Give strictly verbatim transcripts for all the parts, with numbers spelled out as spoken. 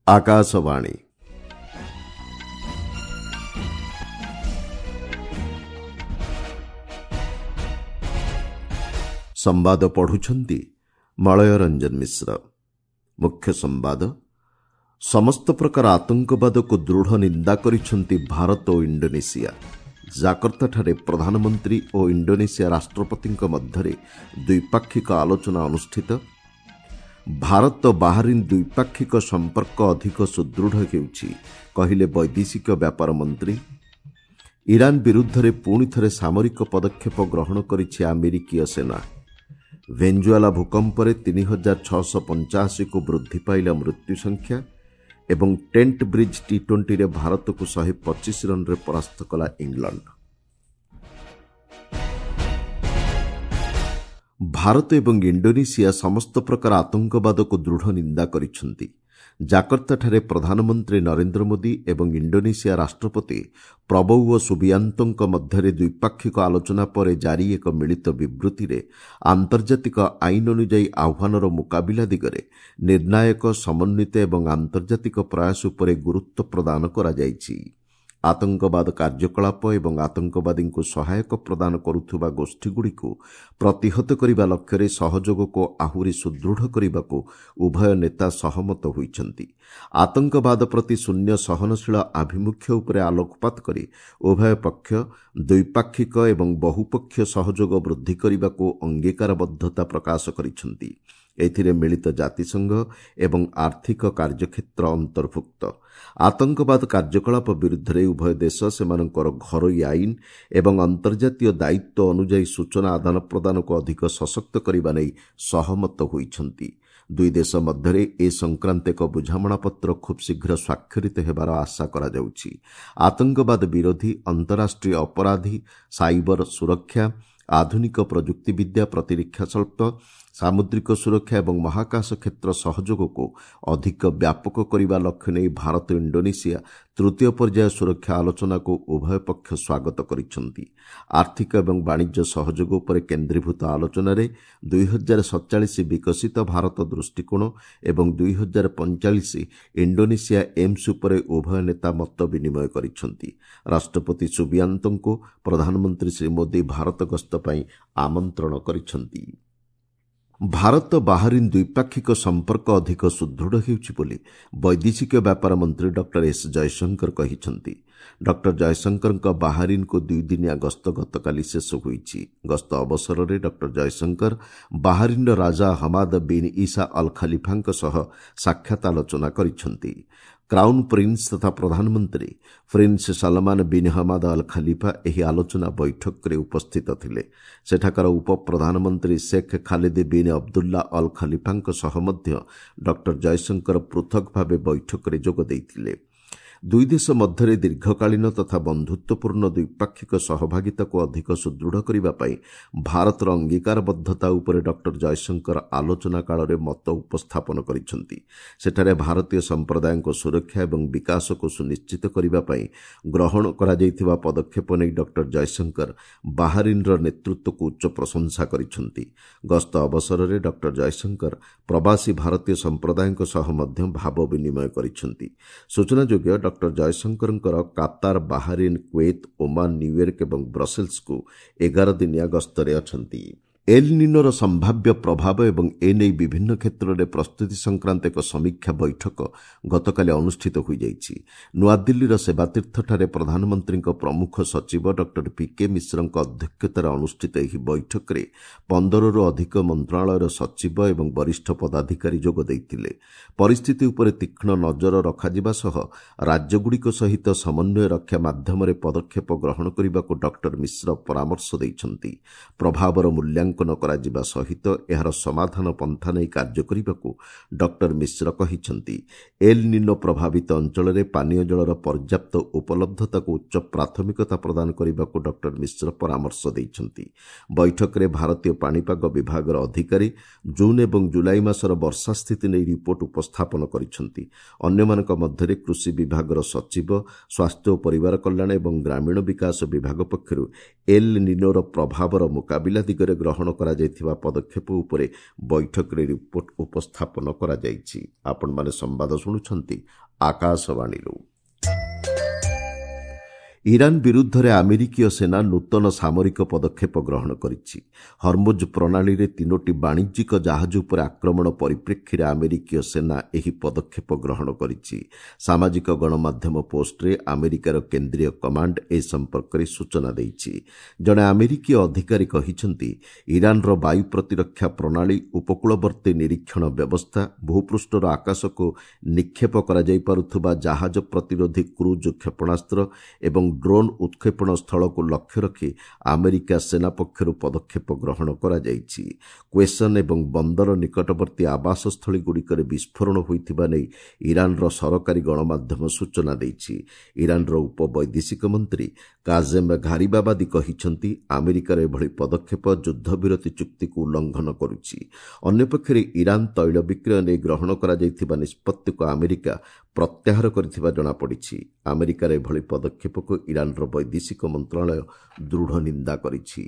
ଆକାଶବାଣୀ। ସମ୍ବାଦ ପଢୁଛନ୍ତି ମଳୟ ରଞ୍ଜନ ମିଶ୍ର। ମୁଖ୍ୟ ସମ୍ବାଦ। ସମସ୍ତ ପ୍ରକାର ଆତଙ୍କବାଦକୁ ଦୃଢ଼ ନିନ୍ଦା କରିଛନ୍ତି ଭାରତ ଓ ଇଣ୍ଡୋନେସିଆ। ଜାକର୍ତ୍ତାଠାରେ ପ୍ରଧାନମନ୍ତ୍ରୀ ଓ ଇଣ୍ଡୋନେସିଆ ରାଷ୍ଟ୍ରପତିଙ୍କ ମଧ୍ୟରେ ଦ୍ୱିପାକ୍ଷିକ ଆଲୋଚନା ଅନୁଷ୍ଠିତ। ଭାରତ ବାହାରିନ୍ ଦ୍ୱିପାକ୍ଷିକ ସମ୍ପର୍କ ଅଧିକ ସୁଦୃଢ଼ ହେଉଛି, କହିଲେ ବୈଦେଶିକ ବ୍ୟାପାର ମନ୍ତ୍ରୀ। ଇରାନ ବିରୁଦ୍ଧରେ ପୁଣି ଥରେ ସାମରିକ ପଦକ୍ଷେପ ଗ୍ରହଣ କରିଛି ଆମେରିକୀୟ ସେନା। ଭେଞ୍ଜୁଆଲା ଭୂକମ୍ପରେ ତିନି ହଜାର ଛଅଶହ ପଞ୍ଚାଅଶୀକୁ ବୃଦ୍ଧି ପାଇଲା ମୃତ୍ୟୁ ସଂଖ୍ୟା ଏବଂ ଟେଣ୍ଟ ବ୍ରିଜ୍ ଟି ଟ୍ୱେଣ୍ଟିରେ ଭାରତକୁ ଶହେ ପଚିଶ ରନ୍ରେ ପରାସ୍ତ କଲା ଇଂଲଣ୍ଡ। ଭାରତ ଏବଂ ଇଣ୍ଡୋନେସିଆ ସମସ୍ତ ପ୍ରକାର ଆତଙ୍କବାଦକୁ ଦୃଢ଼ ନିନ୍ଦା କରିଛନ୍ତି। ଜାକର୍ତ୍ତାଠାରେ ପ୍ରଧାନମନ୍ତ୍ରୀ ନରେନ୍ଦ୍ର ମୋଦି ଏବଂ ଇଣ୍ଡୋନେସିଆ ରାଷ୍ଟ୍ରପତି ପ୍ରବୌଓ ସୁବିଆନ୍ତୋଙ୍କ ମଧ୍ୟରେ ଦ୍ୱିପାକ୍ଷିକ ଆଲୋଚନା ପରେ ଜାରି ଏକ ମିଳିତ ବିବୃତ୍ତିରେ ଆନ୍ତର୍ଜାତିକ ଆଇନ ଅନୁଯାୟୀ ଆହ୍ୱାନର ମୁକାବିଲା ଦିଗରେ ନିର୍ଣ୍ଣାୟକ, ସମନ୍ୱିତ ଏବଂ ଆନ୍ତର୍ଜାତିକ ପ୍ରୟାସ ଉପରେ ଗୁରୁତ୍ୱ ପ୍ରଦାନ କରାଯାଇଛି। ଆତଙ୍କବାଦ କାର୍ଯ୍ୟକଳାପ ଏବଂ ଆତଙ୍କବାଦୀଙ୍କୁ ସହାୟକ ପ୍ରଦାନ କରୁଥିବା ଗୋଷ୍ଠୀଗୁଡ଼ିକୁ ପ୍ରତିହତ କରିବା ଲକ୍ଷ୍ୟରେ ସହଯୋଗକୁ ଆହୁରି ସୁଦୃଢ଼ କରିବାକୁ ଉଭୟ ନେତା ସହମତ ହୋଇଛନ୍ତି। ଆତଙ୍କବାଦ ପ୍ରତି ଶୂନ୍ୟ ସହନଶୀଳ ଆଭିମୁଖ୍ୟ ଉପରେ ଆଲୋକପାତ କରି ଉଭୟ ପକ୍ଷ ଦ୍ୱିପାକ୍ଷିକ ଏବଂ ବହୁପକ୍ଷୀୟ ସହଯୋଗ ବୃଦ୍ଧି କରିବାକୁ ଅଙ୍ଗୀକାରବଦ୍ଧତା ପ୍ରକାଶ କରିଛନ୍ତି। ଏଥିରେ ମିଳିତ ଜାତିସଂଘ ଏବଂ ଆର୍ଥିକ କାର୍ଯ୍ୟକ୍ଷେତ୍ର ଅନ୍ତର୍ଭୁକ୍ତ। ଆତଙ୍କବାଦ କାର୍ଯ୍ୟକଳାପ ବିରୁଦ୍ଧରେ ଉଭୟ ଦେଶ ସେମାନଙ୍କର ଘରୋଇ ଆଇନ ଏବଂ ଅନ୍ତର୍ଜାତୀୟ ଦାୟିତ୍ୱ ଅନୁଯାୟୀ ସୂଚନା ଆଦାନ ପ୍ରଦାନକୁ ଅଧିକ ସଶକ୍ତ କରିବା ନେଇ ସହମତ ହୋଇଛନ୍ତି। ଦୁଇ ଦେଶ ମଧ୍ୟରେ ଏ ସଂକ୍ରାନ୍ତ ଏକ ବୁଝାମଣାପତ୍ର ଖୁବ୍ ଶୀଘ୍ର ସ୍ୱାକ୍ଷରିତ ହେବାର ଆଶା କରାଯାଉଛି। ଆତଙ୍କବାଦ ବିରୋଧୀ, ଅନ୍ତରାଷ୍ଟ୍ରୀୟ ଅପରାଧୀ, ସାଇବର ସୁରକ୍ଷା, ଆଧୁନିକ ପ୍ରଯୁକ୍ତିବିଦ୍ୟା, ପ୍ରତିରକ୍ଷା ଶିଳ୍ପ, ସାମୁଦ୍ରିକ ସୁରକ୍ଷା ଏବଂ ମହାକାଶ କ୍ଷେତ୍ର ସହଯୋଗକୁ ଅଧିକ ବ୍ୟାପକ କରିବା ଲକ୍ଷ୍ୟ ନେଇ ଭାରତ ଇଣ୍ଡୋନେସିଆ ତୃତୀୟ ପର୍ଯ୍ୟାୟ ସୁରକ୍ଷା ଆଲୋଚନାକୁ ଉଭୟ ପକ୍ଷ ସ୍ୱାଗତ କରିଛନ୍ତି। ଆର୍ଥିକ ଏବଂ ବାଣିଜ୍ୟ ସହଯୋଗ ଉପରେ କେନ୍ଦ୍ରୀଭୂତ ଆଲୋଚନାରେ ଦୁଇ ହଜାର ସତଚାଳିଶ ବିକଶିତ ଭାରତ ଦୃଷ୍ଟିକୋଣ ଏବଂ ଦୁଇ ହଜାର ପଞ୍ଚଚାଳିଶ ଇଣ୍ଡୋନେସିଆ ଏମ୍ସ ଉପରେ ଉଭୟ ନେତା ମତ ବିନିମୟ କରିଛନ୍ତି। ରାଷ୍ଟ୍ରପତି ସୁବିଆନ୍ତୋଙ୍କୁ ପ୍ରଧାନମନ୍ତ୍ରୀ ଶ୍ରୀ ମୋଦି ଭାରତ ଗସ୍ତ ପାଇଁ ଆମନ୍ତ୍ରଣ କରିଛନ୍ତି। ଭାରତ ବାହାରିନ୍ ଦ୍ୱିପାକ୍ଷିକ ସମ୍ପର୍କ ଅଧିକ ସୁଦୃଢ଼ ହେଉଛି ବୋଲି ବୈଦେଶିକ ବ୍ୟାପାର ମନ୍ତ୍ରୀ ଡକ୍ଟର ଏସ୍ ଜୟଶଙ୍କର କହିଛନ୍ତି। ଡକ୍ଟର ଜୟଶଙ୍କରଙ୍କ ବାହାରିନ୍କୁ ଦୁଇଦିନିଆ ଗସ୍ତ ଗତକାଲି ଶେଷ ହୋଇଛି। ଗସ୍ତ ଅବସରରେ ଡକ୍ଟର ଜୟଶଙ୍କର ବାହାରିନ୍ର ରାଜା ହମାଦ ବିନ୍ ଇସା ଅଲ୍ ଖଲିଫାଙ୍କ ସହ ସାକ୍ଷାତ ଆଲୋଚନା କରିଛନ୍ତି। କ୍ରାଉନ୍ ପ୍ରିନ୍ସ ତଥା ପ୍ରଧାନମନ୍ତ୍ରୀ prince Salman bin Hamad Al Khalifa ଏହି ଆଲୋଚନା ବୈଠକରେ ଉପସ୍ଥିତ ଥିଲେ। ସେଠାକାର ଉପପ୍ରଧାନମନ୍ତ୍ରୀ Sheikh Khalid bin Abdullah Al ଖଲିଫାଙ୍କ ସହ ମଧ୍ୟ ଡକ୍ଟର ଜୟଶଙ୍କର ପୃଥକ ଭାବେ ବୈଠକରେ ଯୋଗ ଦେଇଥିଲେ। ଦୁଇ ଦେଶ ମଧ୍ୟରେ ଦୀର୍ଘକାଳୀନ ତଥା ବନ୍ଧୁତ୍ୱପୂର୍ଣ୍ଣ ଦ୍ୱିପାକ୍ଷିକ ସହଭାଗିତାକୁ ଅଧିକ ସୁଦୃଢ଼ କରିବା ପାଇଁ ଭାରତର ଅଙ୍ଗୀକାରବଦ୍ଧତା ଉପରେ ଡକ୍ଟର ଜୟଶଙ୍କର ଆଲୋଚନା କାଳରେ ମତ ଉପସ୍ଥାପନ କରିଛନ୍ତି। ସେଠାରେ ଭାରତୀୟ ସମ୍ପ୍ରଦାୟଙ୍କ ସୁରକ୍ଷା ଏବଂ ବିକାଶକୁ ସୁନିଶ୍ଚିତ କରିବା ପାଇଁ ଗ୍ରହଣ କରାଯାଇଥିବା ପଦକ୍ଷେପ ନେଇ ଡକ୍ଟର ଜୟଶଙ୍କର ବାହାରିନ୍ର ନେତୃତ୍ୱକୁ ଉଚ୍ଚ ପ୍ରଶଂସା କରିଛନ୍ତି। ଗସ୍ତ ଅବସରରେ ଡକ୍ଟର ଜୟଶଙ୍କର ପ୍ରବାସୀ ଭାରତୀୟ ସମ୍ପ୍ରଦାୟଙ୍କ ସହ ମଧ୍ୟ ଭାବ ବିନିମୟ କରିଛନ୍ତି। ସୂଚନାଯୋଗ୍ୟ, ଡକ୍ଟର ଜୟଶଙ୍କରଙ୍କର Qatar, Bahrain, Kuwait, Oman, New York ଏବଂ ବ୍ରସେଲ୍ସକୁ ଏଗାର ଦିନିଆ ଗସ୍ତରେ ଅଛନ୍ତି। ଏଲ୍ ନିନୋର ସମ୍ଭାବ୍ୟ ପ୍ରଭାବ ଏବଂ ଏନେଇ ବିଭିନ୍ନ କ୍ଷେତ୍ରରେ ପ୍ରସ୍ତୁତି ସଂକ୍ରାନ୍ତ ଏକ ସମୀକ୍ଷା ବୈଠକ ଗତକାଲି ଅନୁଷ୍ଠିତ ହୋଇଯାଇଛି। ନୂଆଦିଲ୍ଲୀର ସେବାତୀର୍ଥଠାରେ ପ୍ରଧାନମନ୍ତ୍ରୀଙ୍କ ପ୍ରମୁଖ ସଚିବ ଡକ୍ଟର ପି କେ ମିଶ୍ରଙ୍କ ଅଧ୍ୟକ୍ଷତାରେ ଅନୁଷ୍ଠିତ ଏହି ବୈଠକରେ ପନ୍ଦରରୁ ଅଧିକ ମନ୍ତ୍ରଣାଳୟର ସଚିବ ଏବଂ ବରିଷ୍ଠ ପଦାଧିକାରୀ ଯୋଗ ଦେଇଥିଲେ। ପରିସ୍ଥିତି ଉପରେ ତୀକ୍ଷ୍ଣ ନଜର ରଖାଯିବା ସହ ରାଜ୍ୟଗୁଡ଼ିକ ସହିତ ସମନ୍ୱୟ ରକ୍ଷା ମାଧ୍ୟମରେ ପଦକ୍ଷେପ ଗ୍ରହଣ କରିବାକୁ ଡକ୍ଟର ମିଶ୍ର ପରାମର୍ଶ ଦେଇଛନ୍ତି। ପ୍ରଭାବର ମୂଲ୍ୟାଙ୍କନ କରାଯିବା ସହିତ ଏହାର ସମାଧାନ ପନ୍ଥା ନେଇ କାର୍ଯ୍ୟ କରିବାକୁ ଡକ୍ଟର ମିଶ୍ର କହିଛନ୍ତି। ଏଲ୍ ନିନୋ ପ୍ରଭାବିତ ଅଞ୍ଚଳରେ ପାନୀୟ ଜଳର ପର୍ଯ୍ୟାପ୍ତ ଉପଲବ୍ଧତାକୁ ଉଚ୍ଚ ପ୍ରାଥମିକତା ପ୍ରଦାନ କରିବାକୁ ଡକ୍ଟର ମିଶ୍ର ପରାମର୍ଶ ଦେଇଛନ୍ତି। ବୈଠକରେ ଭାରତୀୟ ପାଣିପାଗ ବିଭାଗର ଅଧିକାରୀ ଜୁନ୍ ଏବଂ ଜୁଲାଇ ମାସର ବର୍ଷା ସ୍ଥିତି ନେଇ ରିପୋର୍ଟ ଉପସ୍ଥାପନ କରିଛନ୍ତି। ଅନ୍ୟମାନଙ୍କ ମଧ୍ୟରେ କୃଷି ବିଭାଗର ସଚିବ, ସ୍ୱାସ୍ଥ୍ୟ ଓ ପରିବାର କଲ୍ୟାଣ ଏବଂ ଗ୍ରାମୀଣ ବିକାଶ ବିଭାଗ ପକ୍ଷରୁ ଏଲ୍ ନିନୋର ପ୍ରଭାବର ମୁକାବିଲା ଦିଗରେ ଗ୍ରହଣ ଗ୍ରହଣ କରାଯାଇଥିବା ପଦକ୍ଷେପ ଉପରେ ବୈଠକରେ ରିପୋର୍ଟ ଉପସ୍ଥାପନ କରାଯାଇଛି। ଆପଣମାନେ ସମ୍ବାଦ ଶୁଣୁଛନ୍ତି ଆକାଶବାଣୀରୁ। ଇରାନ ବିରୁଦ୍ଧରେ ଆମେରିକୀୟ ସେନା ନୂତନ ସାମରିକ ପଦକ୍ଷେପ ଗ୍ରହଣ କରିଛି। ହର୍ମୁଜ ପ୍ରଣାଳୀରେ ତିନୋଟି ବାଣିଜ୍ୟିକ ଜାହାଜ ଉପରେ ଆକ୍ରମଣ ପରିପ୍ରେକ୍ଷୀରେ ଆମେରିକୀୟ ସେନା ଏହି ପଦକ୍ଷେପ ଗ୍ରହଣ କରିଛି। ସାମାଜିକ ଗଣମାଧ୍ୟମ ପୋଷ୍ଟରେ ଆମେରିକାର କେନ୍ଦ୍ରୀୟ କମାଣ୍ଡ ଏ ସମ୍ପର୍କରେ ସୂଚନା ଦେଇଛି। ଜଣେ ଆମେରିକୀୟ ଅଧିକାରୀ କହିଛନ୍ତି, ଇରାନର ବାୟୁ ପ୍ରତିରକ୍ଷା ପ୍ରଣାଳୀ, ଉପକୂଳବର୍ତ୍ତୀ ନିରୀକ୍ଷଣ ବ୍ୟବସ୍ଥା, ଭୂପୃଷ୍ଠର ଆକାଶକୁ ନିକ୍ଷେପ କରାଯାଇପାରୁଥିବା ଜାହାଜ ପ୍ରତିରୋଧୀ କ୍ରୁଜ୍ କ୍ଷେପଣାସ୍ତ୍ର ଏବଂ ଡ୍ରୋନ୍ ଉତ୍କ୍ଷେପଣ ସ୍ଥଳକୁ ଲକ୍ଷ୍ୟ ରଖି ଆମେରିକା ସେନା ପକ୍ଷରୁ ପଦକ୍ଷେପ ଗ୍ରହଣ କରାଯାଇଛି। କ୍ୱେସନ୍ ଏବଂ ବନ୍ଦର ନିକଟବର୍ତ୍ତୀ ଆବାସସ୍ଥଳୀଗୁଡ଼ିକରେ ବିସ୍ଫୋରଣ ହୋଇଥିବା ନେଇ ଇରାନର ସରକାରୀ ଗଣମାଧ୍ୟମ ସୂଚନା ଦେଇଛି। ଇରାନର ଉପବୈଦେଶିକ ମନ୍ତ୍ରୀ କାଜେମ୍ ଘାରିବାବାଦୀ କହିଛନ୍ତି, ଆମେରିକାର ଏଭଳି ପଦକ୍ଷେପ ଯୁଦ୍ଧବିରତି ଚୁକ୍ତିକୁ ଉଲ୍ଲଂଘନ କରୁଛି। ଅନ୍ୟପକ୍ଷରେ ଇରାନ ତୈଳ ବିକ୍ରୟ ନେଇ ଗ୍ରହଣ କରାଯାଇଥିବା ନିଷ୍ପତ୍ତିକୁ ଆମେରିକା ପ୍ରତ୍ୟାହାର କରିଥିବା ଜଣାପଡ଼ିଛି। ଆମେରିକାର ଏଭଳି ପଦକ୍ଷେପକୁ ଇରାନର ବୈଦେଶିକ ମନ୍ତ୍ରଣାଳୟ ଦୃଢ଼ ନିନ୍ଦା କରିଛି।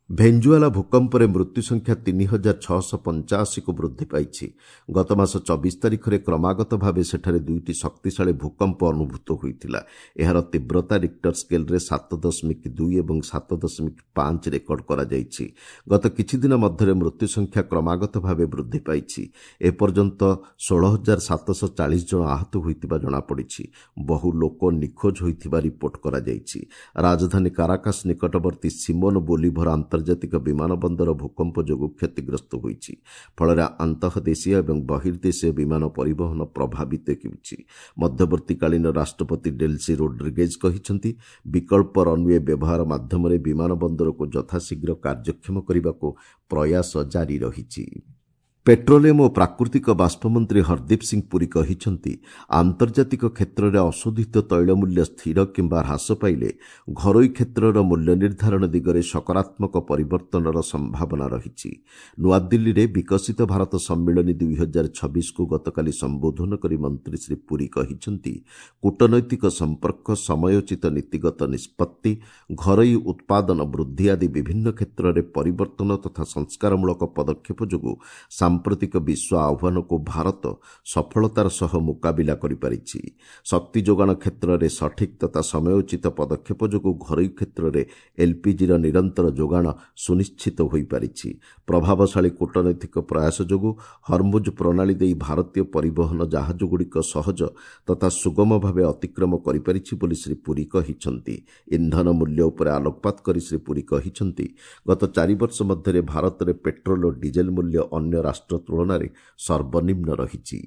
ଭେଞ୍ଜୁଆଲା ଭୂକମ୍ପରେ ମୃତ୍ୟୁ ସଂଖ୍ୟା ତିନି ହଜାର ଛଅଶହ ପଞ୍ଚାଅଶୀକୁ ବୃଦ୍ଧି ପାଇଛି। ଗତମାସ ଚବିଶ ତାରିଖରେ କ୍ରମାଗତ ଭାବେ ସେଠାରେ ଦୁଇଟି ଶକ୍ତିଶାଳୀ ଭୂକମ୍ପ ଅନୁଭୂତ ହୋଇଥିଲା। ଏହାର ତୀବ୍ରତା ରିକ୍ଟର ସ୍କେଲ୍ରେ ସାତ ଦଶମିକ ଦୁଇ ଏବଂ ସାତ ଦଶମିକ ପାଞ୍ଚ ରେକର୍ଡ କରାଯାଇଛି। ଗତ କିଛିଦିନ ମଧ୍ୟରେ ମୃତ୍ୟୁ ସଂଖ୍ୟା କ୍ରମାଗତ ଭାବେ ବୃଦ୍ଧି ପାଇଛି। ଏପର୍ଯ୍ୟନ୍ତ ଷୋହଳ ହଜାର ସାତଶହ ଚାଳିଶ ଜଣ ଆହତ ହୋଇଥିବା ଜଣାପଡ଼ିଛି। ବହୁ ଲୋକ ନିଖୋଜ ହୋଇଥିବା ରିପୋର୍ଟ କରାଯାଇଛି। ରାଜଧାନୀ କାରାକାସ ନିକଟବର୍ତ୍ତୀ ସିମୋନ ବୋଲିଭର ଆନ୍ତର୍ଜାତିକ ବିମାନ ବନ୍ଦର ଭୂକମ୍ପ ଯୋଗୁଁ କ୍ଷତିଗ୍ରସ୍ତ ହୋଇଛି। ଫଳରେ ଆନ୍ତଃଦେଶୀୟ ଏବଂ ବହିର୍ଦେଶୀୟ ବିମାନ ପରିବହନ ପ୍ରଭାବିତ ହେଉଛି। ମଧ୍ୟବର୍ତ୍ତୀକାଳୀନ ରାଷ୍ଟ୍ରପତି ଡେଲ୍ସି ରୋଡ୍ରିଗେଜ୍ କହିଛନ୍ତି, ବିକଳ୍ପ ରନ୍ୱେ ବ୍ୟବହାର ମାଧ୍ୟମରେ ବିମାନ ବନ୍ଦରକୁ ଯଥାଶୀଘ୍ର କାର୍ଯ୍ୟକ୍ଷମ କରିବାକୁ ପ୍ରୟାସ ଜାରି ରହିଛି। ପେଟ୍ରୋଲିୟମ ଓ ପ୍ରାକୃତିକ ବାଷ୍ପ ମନ୍ତ୍ରୀ ହରଦୀପ ସିଂ ପୁରୀ କହିଛନ୍ତି, ଆନ୍ତର୍ଜାତିକ କ୍ଷେତ୍ରରେ ଅଶୋଧିତ ତୈଳ ମୂଲ୍ୟ ସ୍ଥିର କିମ୍ବା ହ୍ରାସ ପାଇଲେ ଘରୋଇ କ୍ଷେତ୍ରର ମୂଲ୍ୟ ନିର୍ଦ୍ଧାରଣ ଦିଗରେ ସକାରାତ୍ମକ ପରିବର୍ତ୍ତନର ସମ୍ଭାବନା ରହିଛି। ନୂଆଦିଲ୍ଲୀରେ ବିକଶିତ ଭାରତ ସମ୍ମିଳନୀ ଦୁଇ ହଜାର ଛବିଶକୁ ଗତକାଲି ସମ୍ବୋଧନ କରି ମନ୍ତ୍ରୀ ଶ୍ରୀ ପୁରୀ କହିଛନ୍ତି, କୂଟନୈତିକ ସମ୍ପର୍କ, ସମୟୋଚିତ ନୀତିଗତ ନିଷ୍ପତ୍ତି, ଘରୋଇ ଉତ୍ପାଦନ ବୃଦ୍ଧି ଆଦି ବିଭିନ୍ନ କ୍ଷେତ୍ରରେ ପରିବର୍ତ୍ତନ ତଥା ସଂସ୍କାରମୂଳକ ପଦକ୍ଷେପ ଯୋଗୁଁ ସାମ୍ପ୍ରତିକ ବିଶ୍ୱ ଆହ୍ୱାନକୁ ଭାରତ ସଫଳତାର ସହ ମୁକାବିଲା କରିପାରିଛି। ଶକ୍ତି ଯୋଗାଣ କ୍ଷେତ୍ରରେ ସଠିକ୍ ତଥା ସମୟୋଚିତ ପଦକ୍ଷେପ ଯୋଗୁଁ ଘରୋଇ କ୍ଷେତ୍ରରେ ଏଲ୍ପିଜିର ନିରନ୍ତର ଯୋଗାଣ ସୁନିଶ୍ଚିତ ହୋଇପାରିଛି। ପ୍ରଭାବଶାଳୀ କୂଟନୈତିକ ପ୍ରୟାସ ଯୋଗୁଁ ହର୍ମୁଜ ପ୍ରଣାଳୀ ଦେଇ ଭାରତୀୟ ପରିବହନ ଜାହାଜଗୁଡ଼ିକ ସହଜ ତଥା ସୁଗମ ଭାବେ ଅତିକ୍ରମ କରିପାରିଛି ବୋଲି ଶ୍ରୀ ପୁରୀ କହିଛନ୍ତି। ଇନ୍ଧନ ମୂଲ୍ୟ ଉପରେ ଆଲୋକପାତ କରି ଶ୍ରୀ ପୁରୀ କହିଛନ୍ତି, ଗତ ଚାରି ବର୍ଷ ମଧ୍ୟରେ ଭାରତରେ ପେଟ୍ରୋଲ ଓ ଡିଜେଲ ମୂଲ୍ୟ ଅନ୍ୟ ରାଷ୍ଟ୍ର ତୁଳନାରେ ସର୍ବନିମ୍ନ ରହିଛି।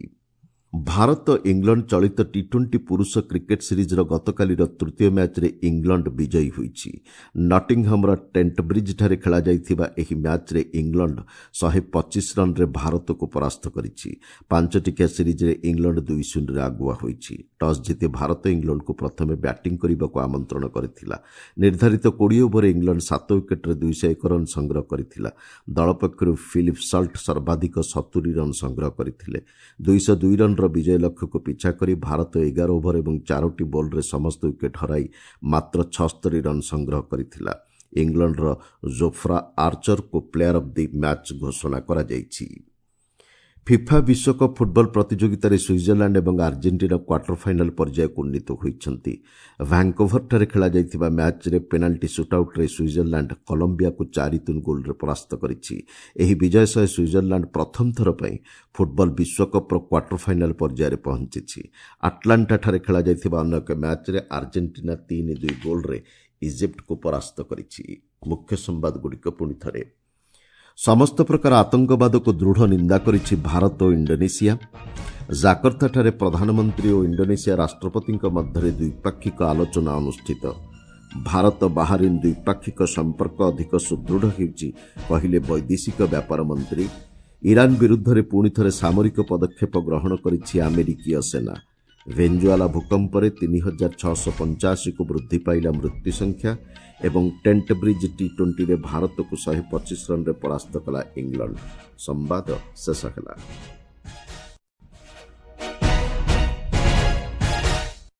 ଭାରତ ଇଂଲଣ୍ଡ ଚଳିତ ଟି ଟ୍ୱେଣ୍ଟି ପୁରୁଷ କ୍ରିକେଟ୍ ସିରିଜ୍ର ଗତକାଲିର ତୃତୀୟ ମ୍ୟାଚ୍ରେ ଇଂଲଣ୍ଡ ବିଜୟୀ ହୋଇଛି। ନଟିଂହମ୍ର ଟେଣ୍ଟବ୍ରିଜ୍ଠାରେ ଖେଳାଯାଇଥିବା ଏହି ମ୍ୟାଚ୍ରେ ଇଂଲଣ୍ଡ ଶହେ ପଚିଶ ରନ୍ରେ ଭାରତକୁ ପରାସ୍ତ କରିଛି। ପାଞ୍ଚଟିକିଆ ସିରିଜ୍ରେ ଇଂଲଣ୍ଡ ଦୁଇ ଶୂନ୍ୟରେ ଆଗୁଆ ହୋଇଛି। ଟସ୍ ଜିତି ଭାରତ ଇଂଲଣ୍ଡକୁ ପ୍ରଥମେ ବ୍ୟାଟିଂ କରିବାକୁ ଆମନ୍ତ୍ରଣ କରିଥିଲା। ନିର୍ଦ୍ଧାରିତ କୋଡ଼ିଏ ଓଭରରେ ଇଂଲଣ୍ଡ ସାତ ୱିକେଟ୍ରେ ଦୁଇଶହ ଏକ ରନ୍ ସଂଗ୍ରହ କରିଥିଲା। ଦଳ ପକ୍ଷରୁ ଫିଲିପ୍ ସଲ୍ଟ ସର୍ବାଧିକ ସତୁରି ରନ୍ ସଂଗ୍ରହ କରିଥିଲେ। ଦୁଇଶହ ଦୁଇ ରନ୍ର ବିଜୟ ଲକ୍ଷ୍ୟକୁ ପିଛା କରି ଭାରତ ଏଗାର ଓଭର ଏବଂ ଚାରୋଟି ବଲ୍ରେ ସମସ୍ତ ୱିକେଟ୍ ହରାଇ ମାତ୍ର ଛସ୍ତରୀ ରନ୍ ସଂଗ୍ରହ କରିଥିଲା। ଇଂଲଣ୍ଡର ଜୋଫ୍ରା ଆର୍ଚରଙ୍କୁ ପ୍ଲେୟାର ଅଫ୍ the match ଘୋଷଣା କରାଯାଇଛି। ଫିଫା ବିଶ୍ୱକପ୍ ଫୁଟବଲ ପ୍ରତିଯୋଗିତାରେ ସୁଇଜରଲ୍ୟାଣ୍ଡ ଏବଂ ଆର୍ଜେଣ୍ଟିନା କ୍ୱାର୍ଟର ଫାଇନାଲ ପର୍ଯ୍ୟାୟକୁ ଉନ୍ନୀତ ହୋଇଛନ୍ତି। ଭ୍ୟାଙ୍କୋଭରଠାରେ ଖେଳାଯାଇଥିବା ମ୍ୟାଚ୍ରେ ପେନାଲ୍ଟି ସୁଟ୍ଆଉଟ୍ରେ ସୁଇଜରଲ୍ୟାଣ୍ଡ କଲମ୍ବିଆକୁ ଚାରି ତିନି ଗୋଲ୍ରେ ପରାସ୍ତ କରିଛି। ଏହି ବିଜୟ ସହ ସୁଇଜରଲ୍ୟାଣ୍ଡ ପ୍ରଥମ ଥର ପାଇଁ ଫୁଟବଲ ବିଶ୍ୱକପ୍ର କ୍ୱାର୍ଟର ଫାଇନାଲ ପର୍ଯ୍ୟାୟରେ ପହଞ୍ଚିଛି। ଆଟଲାଣ୍ଟାଠାରେ ଖେଳାଯାଇଥିବା ଅନ୍ୟ ଏକ ମ୍ୟାଚ୍ରେ ଆର୍ଜେଣ୍ଟିନା ତିନି ଦୁଇ ଗୋଲ୍ରେ ଇଜିପ୍ଟକୁ ପରାସ୍ତ କରିଛି। ମୁଖ୍ୟ ସମ୍ବାଦଗୁଡ଼ିକ ପୁଣି ଥରେ। ସମସ୍ତ ପ୍ରକାର ଆତଙ୍କବାଦକୁ ଦୃଢ଼ ନିନ୍ଦା କରିଛି ଭାରତ ଓ ଇଣ୍ଡୋନେସିଆ। ଜାକର୍ତ୍ତାଠାରେ ପ୍ରଧାନମନ୍ତ୍ରୀ ଓ ଇଣ୍ଡୋନେସିଆ ରାଷ୍ଟ୍ରପତିଙ୍କ ମଧ୍ୟରେ ଦ୍ୱିପାକ୍ଷିକ ଆଲୋଚନା ଅନୁଷ୍ଠିତ। ଭାରତ ବାହାରିନ୍ ଦ୍ୱିପାକ୍ଷିକ ସମ୍ପର୍କ ଅଧିକ ସୁଦୃଢ଼ ହେଉଛି, କହିଲେ ବୈଦେଶିକ ବ୍ୟାପାର ମନ୍ତ୍ରୀ। ଇରାନ ବିରୁଦ୍ଧରେ ପୁଣି ଥରେ ସାମରିକ ପଦକ୍ଷେପ ଗ୍ରହଣ କରିଛି ଆମେରିକୀୟ ସେନା। ଭେଞ୍ଜୁଆଲା ଭୂକମ୍ପରେ ତିନି ହଜାର ଛଅଶହ ପଞ୍ଚାଅଶୀକୁ ବୃଦ୍ଧି ପାଇଲା ମୃତ୍ୟୁ ସଂଖ୍ୟା ଏବଂ ଟେଣ୍ଟ ବ୍ରିଜ୍ ଟି ଟ୍ୱେଣ୍ଟିରେ ଭାରତକୁ ଶହେ ପଚିଶ ରନ୍ରେ ପରାସ୍ତ କଲା ଇଂଲଣ୍ଡ। ସମ୍ବାଦ ଶେଷ ହେଲା।